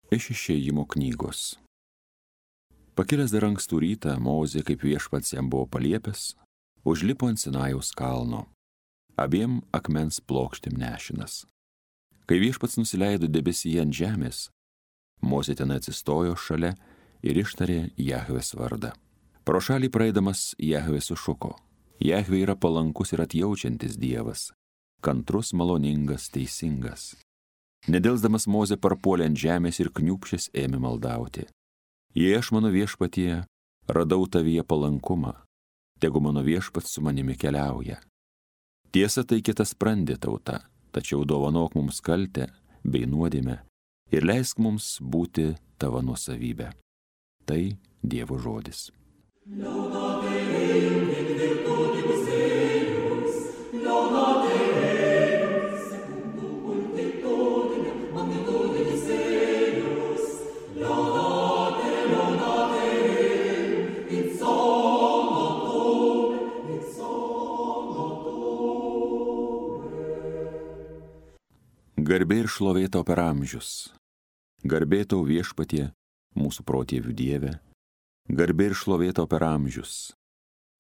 Iš Išėjimo knygos. Pakilęs dar ankstų rytą, Mozė, kaip viešpats jam buvo paliepęs, užlipo ant Sinajaus kalno, abiem akmens plokštėm nešinas. Kai viešpats nusileido debesyje ant žemės, Mozė ten atsistojo šalia ir ištarė Jahvės vardą. Pro šalį praeidamas Jahvė sušuko: Jahvė yra palankus ir atjaučiantis Dievas, kantrus, maloningas, teisingas. Nedelsdamas Mozė parpuolė ant žemės ir kniūpšęs ėmė maldauti: Jei aš, mano viešpatie, radau tavyje palankumą, tegu mano viešpats su manimi keliauja. Tiesa, tai kitasprandė tauta, tačiau dovanok mums kaltę bei nuodėmę ir leisk mums būti tavo nuosavybė. Tai Dievo žodis. Garbė ir šlovė tau per amžius. Garbė tau viešpatie, mūsų protėvių Dieve. Garbė ir šlovė tau per amžius.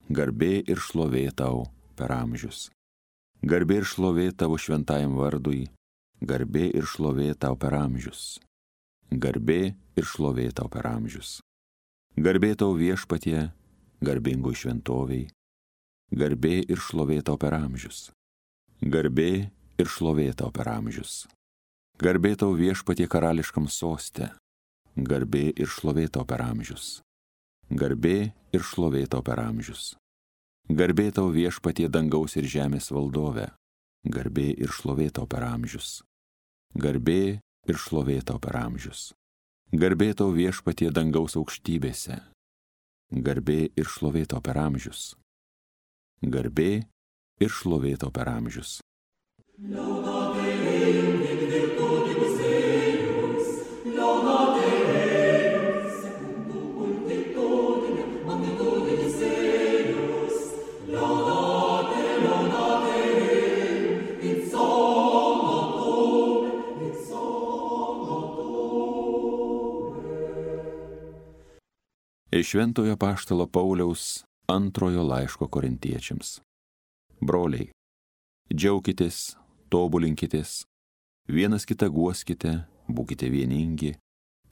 Garbė ir šlovė tau per amžius. Garbė ir šlovė tavo šventajam vardui. Garbė ir šlovė tau per amžius. Garbė ir šlovė tau per amžius. Garbė tau viešpatie, garbingoj šventoviai. Garbė ir šlovė tau per amžius. Garbė ir šlovė tau per amžius. Garbė tau viešpatie karališkam soste. Garbė ir šlovė tau per amžius. Garbė ir šlovė tau per amžius. Garbė tau viešpatie dangaus ir žemės valdove. Garbė ir šlovė tau per amžius. Garbė ir šlovė tau per amžius. Garbė tau viešpatie dangaus aukštybėse. Garbė ir šlovė tau per amžius. Garbė ir šlovė tau per amžius. Iš Šventojo apaštalo Pauliaus antrojo laiško korintiečiams. Broliai, džiaukitės, tobulinkitės, vienas kitą guoskite, būkite vieningi,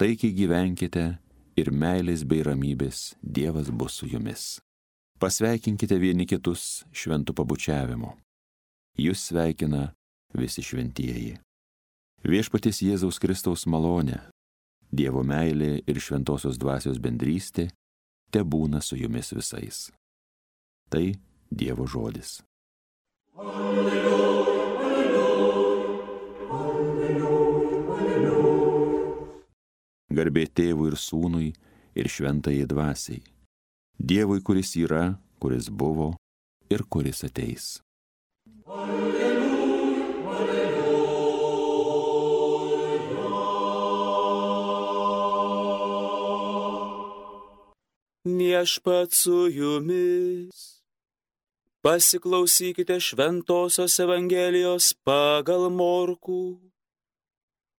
taikiai gyvenkite ir meilės bei ramybės Dievas bus su jumis. Pasveikinkite vieni kitus šventu pabučiavimu. Jūs sveikina visi šventieji. Viešpaties Jėzaus Kristaus malonė, Dievo meilė ir šventosios dvasios bendrystė tebūna su jumis visais. Tai Dievo žodis. Alleluja, alleluja, alleluja, alleluja. Garbė Tėvui ir Sūnui ir šventajai dvasiai, Dievui, kuris yra, kuris buvo ir kuris ateis. Alleluja, alleluja. Viešpats su jumis. Pasiklausykite šventosios Evangelijos pagal Morkų.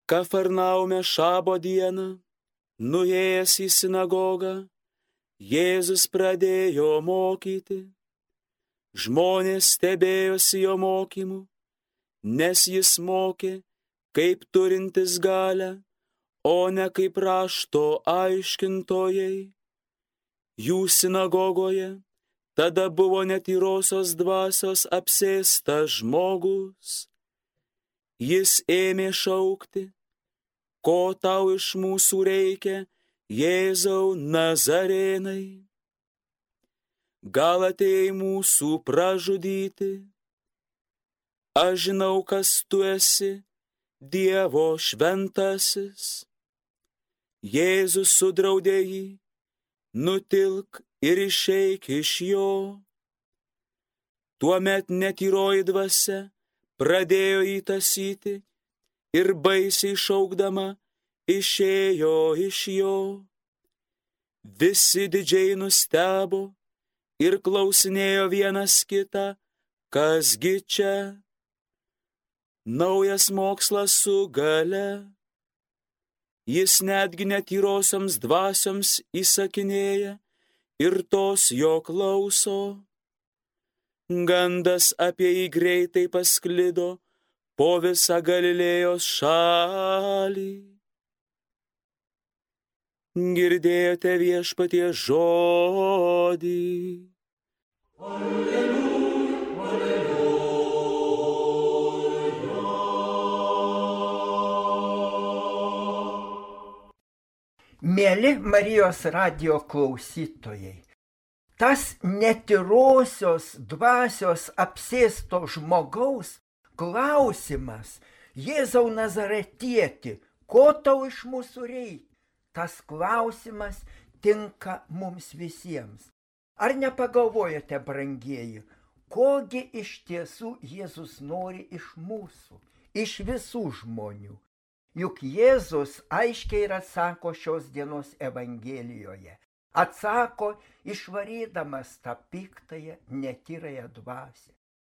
Kafarnaume šabo dieną, nuėjęs į sinagogą, Jėzus pradėjo mokyti. Žmonės stebėjosi jo mokymu, nes jis mokė kaip turintis galią, o ne kaip rašto aiškintojai. Jų sinagogoje tada buvo netyrosios dvasios apsėstas žmogus. Jis ėmė šaukti: ko tau iš mūsų reikia, Jėzau Nazarėnai? Gal atėjai mūsų pražudyti? Aš žinau, kas tu esi, Dievo šventasis. Jėzus sudraudė jį: nutilk ir išeik iš jo. Tuomet netyroji dvasia pradėjo jį tąsyti ir baisiai šaukdama išėjo iš jo. Visi didžiai nustebo ir klausinėjo vienas kitą: kasgi čia? Naujas mokslas su galia. Jis netgi netyrosioms dvasioms įsakinėja ir tos jo klauso. Gandas apie jį greitai pasklido po visą Galilėjos šalį. Girdėjote Viešpaties žodį. Alleluja, alleluja. Mėly Marijos radijo klausytojai, tas netyrosios dvasios apsėsto žmogaus klausimas: Jėzau Nazaretieti, ko tau iš mūsų reikia? Tas klausimas tinka mums visiems. Ar nepagalvojate, brangieji, kogi iš tiesų Jėzus nori iš mūsų, iš visų žmonių? Juk Jėzus aiškiai ir atsako šios dienos Evangelijoje. Atsako išvarydamas tą piktąją, netyrąją dvasią.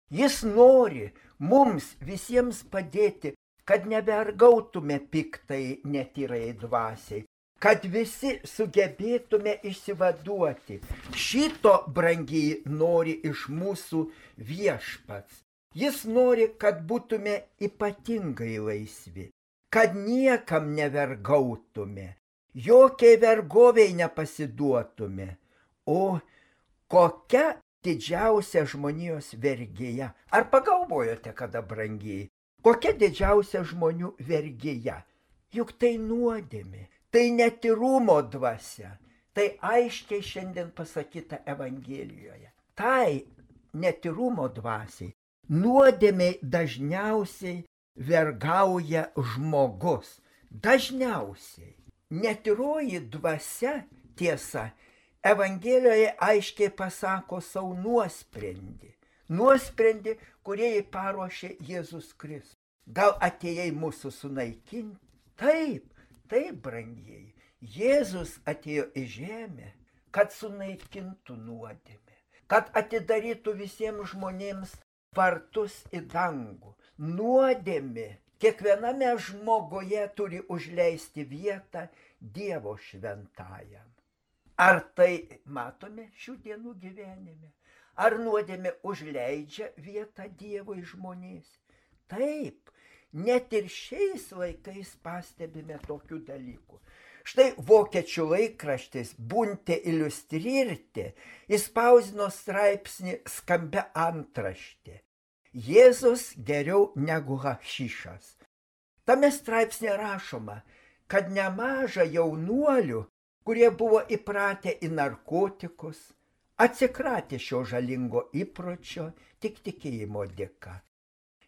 Jis nori mums visiems padėti, kad nevergautume piktai, netyrąjai dvasiai, kad visi sugebėtume išsivaduoti. Šito, brangiai, nori iš mūsų Viešpats. Jis nori, kad būtume ypatingai laisvi, kad niekam nevergautume, jokiai vergoviai nepasiduotume. O kokia didžiausia žmonijos vergėja? Ar pagalvojote kada, brangiai, kokia didžiausia žmonių vergėja? Juk tai nuodėmė. Tai netyrumo dvasia, tai aiškiai šiandien pasakyta Evangelijoje. Tai netyrumo dvasiai, nuodėmiai dažniausiai vergauja žmogus. Dažniausiai. Netyroji dvasia, tiesa, Evangelijoje aiškiai pasako savo nuosprendį. Nuosprendį, kurį paruošė Jėzus Kristus. Gal atėjai mūsų sunaikinti? Taip. Taip, brangieji, Jėzus atėjo į žemę, kad sunaikintų nuodėmę, kad atidarytų visiems žmonėms vartus į dangų. Nuodėmė kiekviename žmoguje turi užleisti vietą Dievo šventajam. Ar tai matome šių dienų gyvenime? Ar nuodėmė užleidžia vietą Dievui žmonės? Taip. Net ir šiais laikais pastebime tokių dalykų. Štai vokiečių laikraštis Bunte Iliustrierte įspausdino straipsnį skambia antraštė: Jėzus geriau negu hašišas. Tame straipsnė rašoma, kad nemaža jaunuolių, kurie buvo įpratę į narkotikus, atsikratė šio žalingo įpročio tik tikėjimo dėka.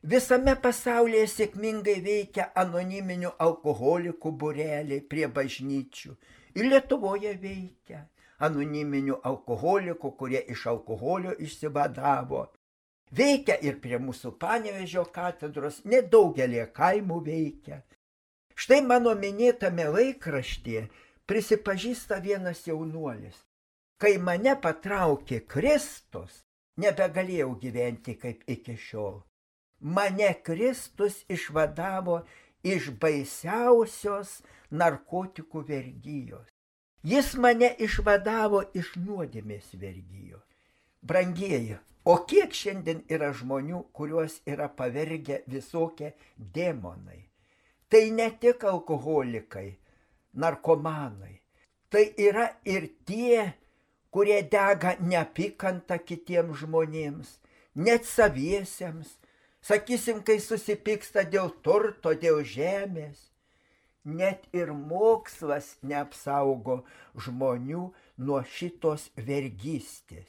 Visame pasaulyje sėkmingai veikia anoniminių alkoholikų būreliai prie bažnyčių. Ir Lietuvoje veikia anoniminių alkoholikų, kurie iš alkoholio išsivadavo. Veikia ir prie mūsų Panevėžio katedros, nedaugelį kaimų veikia. Štai mano minėtame laikraštyje prisipažįsta vienas jaunuolis: kai mane patraukė Kristus, nebegalėjau gyventi kaip iki šiol. Mane Kristus išvadavo iš baisiausios narkotikų vergijos. Jis mane išvadavo iš nuodėmės vergijos. Brangieji, o kiek šiandien yra žmonių, kuriuos yra pavergę visokie demonai? Tai ne tik alkoholikai, narkomanai. Tai yra ir tie, kurie dega neapykantą kitiems žmonėms, net saviesiems. Sakysim, kai susipyksta dėl turto, dėl žemės. Net ir mokslas neapsaugo žmonių nuo šitos vergystės.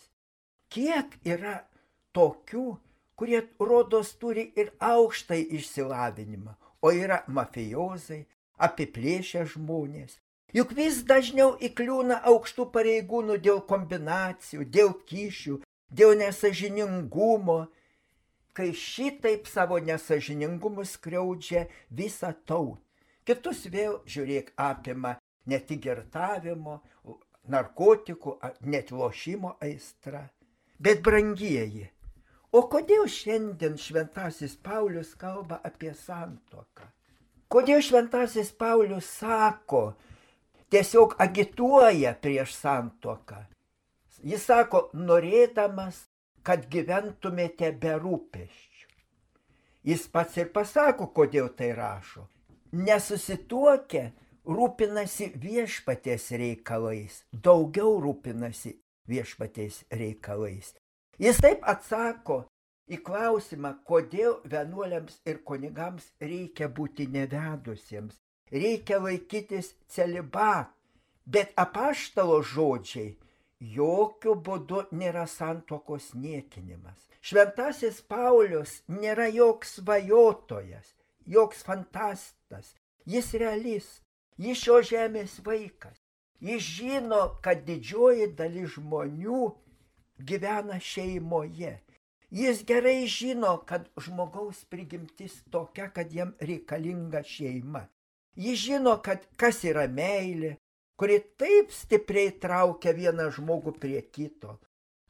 Kiek yra tokių, kurie rodos turi ir aukštą išsilavinimą, o yra mafijozai, apiplėšę žmonės. Juk vis dažniau įkliūna aukštų pareigūnų dėl kombinacijų, dėl kyšių, dėl nesąžiningumo, kai šitaip savo nesąžiningumus skriaudžia visą tautą. Kitus vėl, žiūrėk, apima ne tik girtavimo, narkotikų, net lošimo aistra. Bet brangieji, o kodėl šiandien šventasis Paulius kalba apie santuoką? Kodėl šventasis Paulius sako, tiesiog agituoja prieš santuoką? Jis sako, norėdamas, kad gyventumėte be rūpesčių. Jis pats ir pasako, kodėl tai rašo. Nesusituokę rūpinasi viešpaties reikalais, daugiau rūpinasi viešpaties reikalais. Jis taip atsako į klausimą, kodėl vienuoliams ir kunigams reikia būti nevedusiems, reikia laikytis celibato. Bet apaštalo žodžiai jokių būdų nėra santuokos niekinimas. Šventasis Paulius nėra joks svajotojas, joks fantastas, jis realist, jis šio žemės vaikas. Jis žino, kad didžioji dalis žmonių gyvena šeimoje. Jis gerai žino, kad žmogaus prigimtis tokia, kad jam reikalinga šeima. Jis žino, kad kas yra meilė, kuri taip stipriai traukia vieną žmogų prie kito.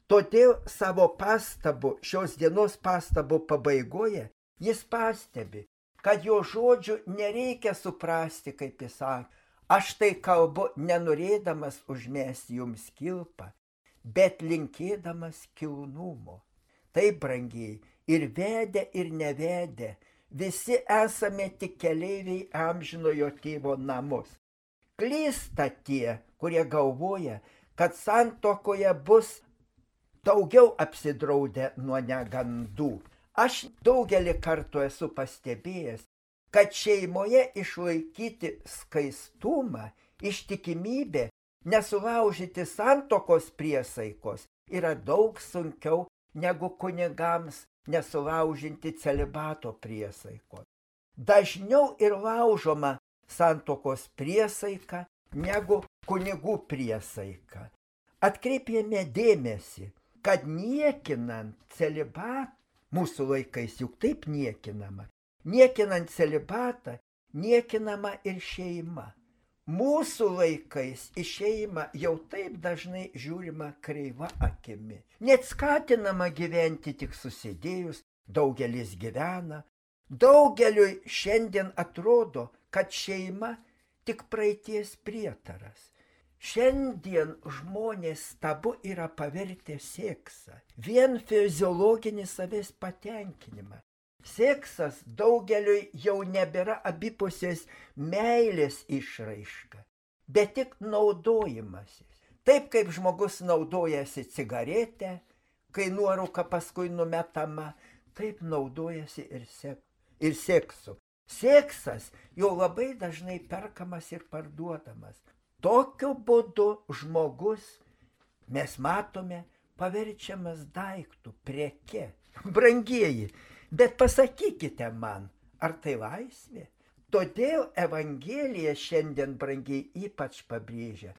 Todėl savo pastabų, šios dienos pastabų pabaigoje, jis pastebi, kad jo žodžių nereikia suprasti, kaip jis sakė. Aš tai kalbu nenorėdamas užmesti jums kilpą, bet linkėdamas kilnumo. Taip, brangiai, ir vedę, ir nevedę, visi esame tik keleiviai amžinojo tėvo namus. Klysta tie, kurie galvoja, kad santuokoje bus daugiau apsidraudę nuo negandų. Aš daugelį kartų esu pastebėjęs, kad šeimoje išlaikyti skaistumą, ištikimybę, nesulaužyti santuokos priesaikos yra daug sunkiau negu kunigams nesulaužinti celibato priesaikos. Dažniau ir laužoma santuokos priesaika negu kunigų priesaika. Atkreipėme dėmesį, kad niekinant celibatą, mūsų laikais juk taip niekinama, niekinant celibatą, niekinama ir šeima. Mūsų laikais į šeimą jau taip dažnai žiūrima kreiva akimi. Net skatinama gyventi tik susidėjus, daugelis gyvena. Daugeliui šiandien atrodo, kad šeima tik praeities prietaras. Šiandien žmonės tabu yra pavertę seksą, vien fiziologinį savęs patenkinimą. Seksas daugeliui jau nebėra abipusės meilės išraiška, bet tik naudojimasis. Taip kaip žmogus naudojasi cigaretę, kai nuorūka paskui numetama, taip naudojasi ir seksu. Seksas jau labai dažnai perkamas ir parduodamas. Tokiu būdu žmogus, mes matome, paverčiamas daiktų, preke. Brangieji, bet pasakykite man, ar tai laisvė? Todėl Evangelija šiandien, brangiai, ypač pabrėžia,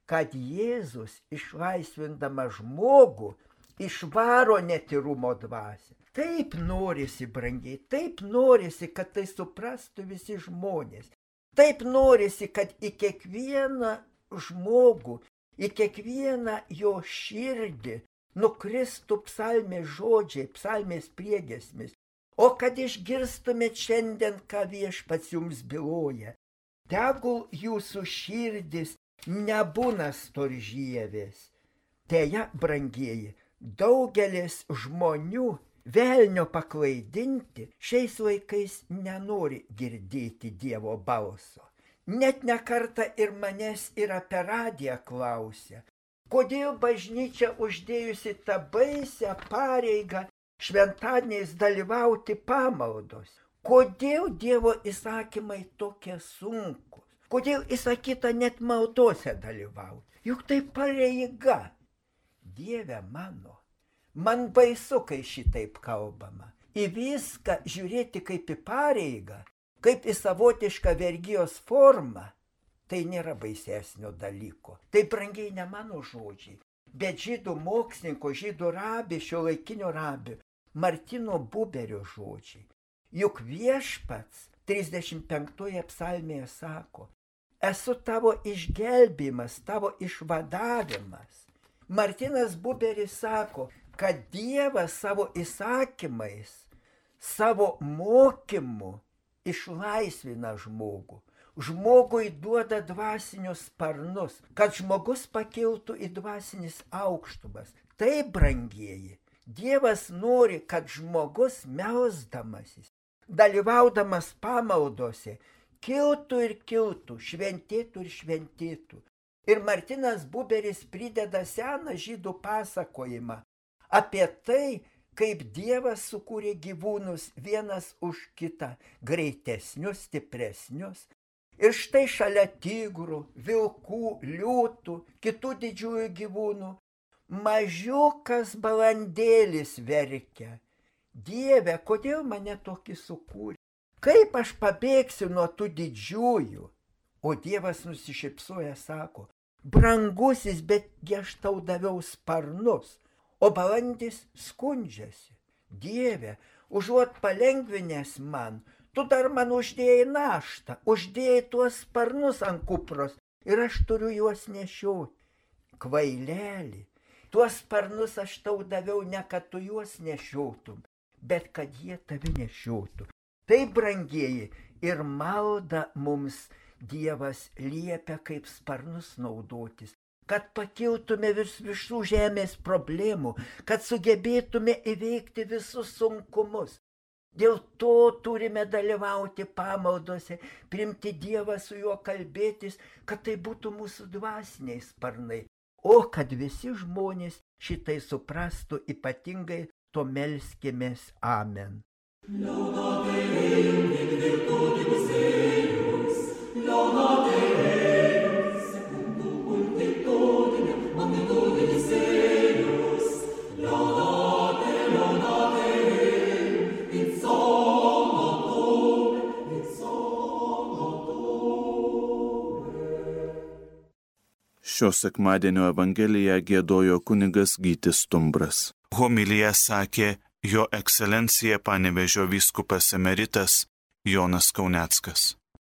kad Jėzus išlaisvindama žmogų išvaro netyrumo dvasią. Taip norisi, brangiai, taip norisi, kad tai suprastų visi žmonės. Taip norisi, kad į kiekvieną žmogų, į kiekvieną jo širdį nukristų psalmės žodžiai, psalmės priegiesmis. O kad išgirstumėt šiandien, ką viešpats jums byloja, tegul jūsų širdis nebūna storžyvės. Deja, brangieji, daugelis žmonių velnio paklaidinti šiais laikais nenori girdėti Dievo balso. Net ne kartą ir manęs yra per radiją klausia, kodėl bažnyčia uždėjusi tą baisią pareigą šventadieniais dalyvauti pamaldos. Kodėl Dievo įsakymai tokie sunkus? Kodėl įsakyta net maldose dalyvauti? Juk tai pareiga. Dieve mano, man baisu, kai šitaip kalbama. Į viską žiūrėti kaip į pareigą, kaip į savotišką vergijos formą, tai nėra baisesnio dalyko. Tai brangiai ne mano žodžiai, bet žydų mokslininko, žydų rabį, šiuolaikinio rabį, Martino Buberio žodžiai. Juk viešpats 35 psalmėje sako, esu tavo išgelbėjimas, tavo išvadavimas. Martinas Buberis sako, kad Dievas savo įsakymais, savo mokymu išlaisvina žmogų. Žmogui duoda dvasinius sparnus, kad žmogus pakiltų į dvasinis aukštumas. Tai, brangieji, Dievas nori, kad žmogus melsdamasis, dalyvaudamas pamaldose, kiltų ir kiltų, šventėtų ir šventėtų. Ir Martinas Buberis prideda seną žydų pasakojimą apie tai, kaip Dievas sukūrė gyvūnus vienas už kitą, greitesnius, stipresnius. Ir štai šalia tigrų, vilkų, liūtų, kitų didžiųjų gyvūnų, mažiukas balandėlis verkia. Dieve, kodėl mane tokį sukūrė? Kaip aš pabėgsiu nuo tų didžiųjų? O Dievas nusišypsoja, sako, brangusis, betgi aš tau daviau sparnus. O balandis skundžiasi. Dieve, užuot palengvinęs man, tu dar man uždėjai naštą, uždėjai tuos sparnus ant kupros ir aš turiu juos nešioti. Kvaileli, tuos sparnus aš tau daviau ne kad tu juos nešiotum, bet kad jie tavi nešiotų. Tai, brangieji, ir malda mums Dievas liepia kaip sparnus naudotis, kad pakiltume visų žemės problemų, kad sugebėtume įveikti visus sunkumus. Dėl to turime dalyvauti pamaldose, priimti Dievą, su juo kalbėtis, kad tai būtų mūsų dvasiniai sparnai. O kad visi žmonės šitai suprastų, ypatingai to melskimės. Amen. Šio sekmadienio evangeliją giedojo kunigas Gytis Stumbras. Homiliją sakė jo ekscelencija Panevėžio vyskupas emeritas Jonas Kauneckas.